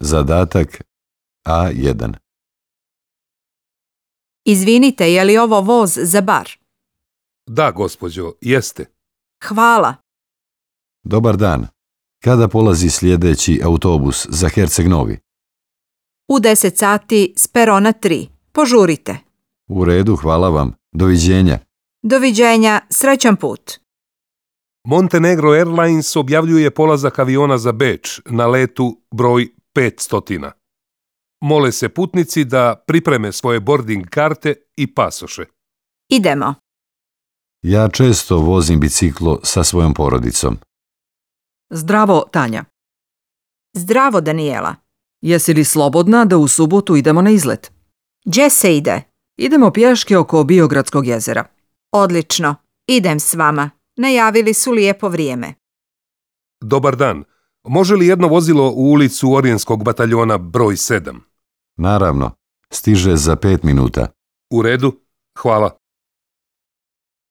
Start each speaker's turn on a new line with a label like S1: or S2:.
S1: Zadatak A1.
S2: Izvinite, je li ovo voz za bar?
S3: Da, gospođo, jeste.
S2: Hvala.
S1: Dobar dan. Kada polazi sljedeći autobus za Herceg Novi?
S2: U 10 sati s perona 3. Požurite.
S1: U redu, hvala vam. Doviđenja.
S2: Doviđenja, srećan put.
S3: Montenegro Airlines objavljuje polazak aviona za Beč na letu broj 500. Mole se putnici da pripreme svoje boarding karte i pasoše.
S2: Idemo.
S1: Ja često vozim biciklo sa svojom porodicom.
S4: Zdravo, Tanja.
S2: Zdravo, Danijela.
S4: Jesi li slobodna da u subotu idemo na izlet?
S2: Gdje se ide?
S4: Idemo pješke oko Biogradskog jezera.
S2: Odlično. Idem s vama. Najavili su lijepo vrijeme.
S3: Dobar dan. Može li jedno vozilo u ulicu Orijenskog bataljona broj 7?
S1: Naravno, stiže za 5 minuta.
S3: U redu, hvala.